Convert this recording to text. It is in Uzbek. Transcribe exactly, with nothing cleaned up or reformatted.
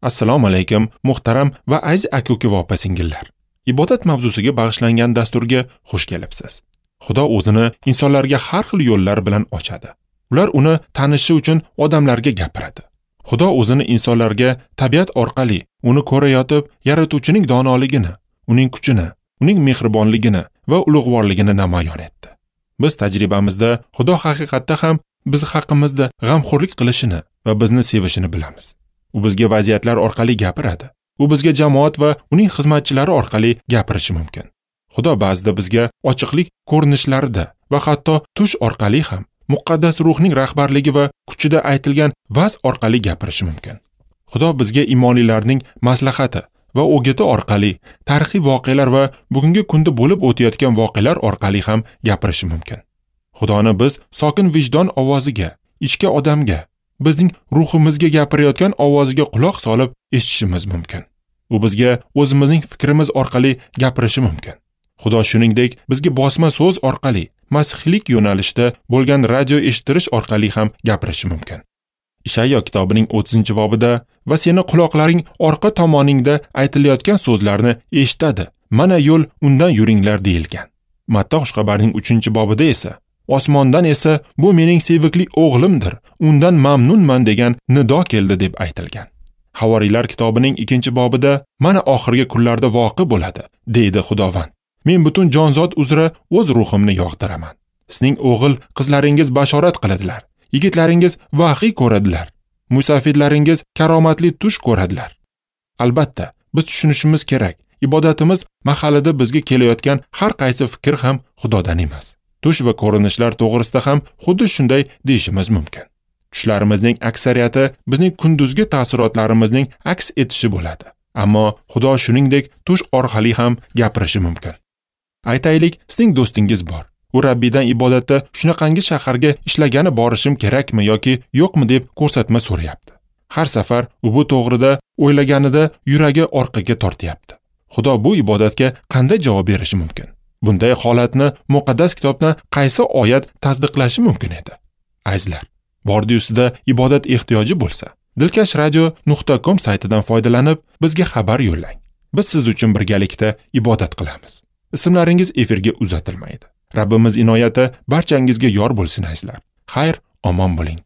Assalomu alaykum, muhtaram va aziz aka-uka va opa-singillar. Ibodat mavzusiga bag'ishlangan dasturga xush kelibsiz. Xudo o'zini insonlarga har xil yo'llar bilan ochadi. Ular uni tanishi uchun odamlarga gapiradi. Xudo o'zini insonlarga tabiat orqali uni ko'rayotib, yaratuvchining donoligini, uning kuchini, uning mehribonligini va ulug'vorligini namoyon etdi. Biz tajribamizda Xudo haqiqatda ham biz haqimizda g'amxo'rlik qilishini va bizni sevishini bilamiz. U bizga vaziyatlar orqali gapiradi. U bizga jamoat va uning xizmatchilari orqali gapirishi mumkin. Xudo ba'zida bizga ochiqlik ko'rinishlarida va hatto tush orqali ham muqaddas ruhning rahbarligi va kuchida aytilgan vaz orqali gapirishi mumkin. Xudo bizga imonlilarning maslahati va o'giti orqali, tarixiy voqealar va bugungi kunda bo'lib o'tayotgan voqealar orqali ham gapirishi mumkin. Xudoni biz sokin vijdon ovoziga, ichki odamga, bizning ruhimizga gapirayotgan ovoziga quloq solib eshitishimiz mumkin. U bizga o'zimizning fikrimiz orqali gapirishi mumkin. Xudo shuningdek bizga bosma so'z orqali, masihiylik yo'nalishida bo'lgan radio eshittirish orqali ham gapirishi mumkin. Ishayyo kitobining o'ttizinchi bobida va seni quloqlaring orqa tomoningda aytilayotgan so'zlarni eshitadi. Mana yo'l, undan yuringlar deyilgan. Matta xushxabarining uchinchi bobida esa osmondan esa bu mening sevikli o'g'limdir, undan mamnunman degan nido keldi deb aytilgan. Havoriylar kitobining ikkinchi bobida mana oxirgi kunlarda voqe bo'ladi, deydi Xudovand. Men butun jonzot uzra o'z ruhimni yog'diraman. Sizning o'g'il qizlaringiz bashorat qiladilar, yigitlaringiz vahiy ko'radilar, musafirlaringiz karomatli tush ko'radilar. Albatta, biz tushunishimiz kerak, ibodatimiz mahalida bizga kelayotgan har qaysi fikr ham Xudodan emas. Tush va ko'rinishlar to'g'risida ham xuddi shunday deyishimiz mumkin. Tushlarimizning aksariyati bizning kunduzgi taassurotlarimizning aks etishi bo'ladi. Ammo Xudo shuningdek tush orqali ham gapirishi mumkin. Aytaylik, sizning do'stingiz bor. U Rabbiydan ibodatda shunaqangi shaharga ishlagani borishim kerakmi yoki yo'qmi deb ko'rsatma so'rayapti. Har safar u bu to'g'rida o'ylaganida yuragi orqaga tortyapti. Xudo bu ibodatga qanday javob berishi mumkin? Bunday holatni muqaddas kitobdan qaysi oyat tasdiqlashi mumkin edi? Azizlar, bordi-yu sizda ibodat ehtiyoji bo'lsa, dilkash radio nuqta com saytidan foydalanib bizga xabar yo'llang. Biz siz uchun birgalikda ibodat qilamiz. Ismlaringiz efirga uzatilmaydi. Rabbimiz inoyati barchangizga yor bo'lsin azizlar. Xayr, omon bo'ling.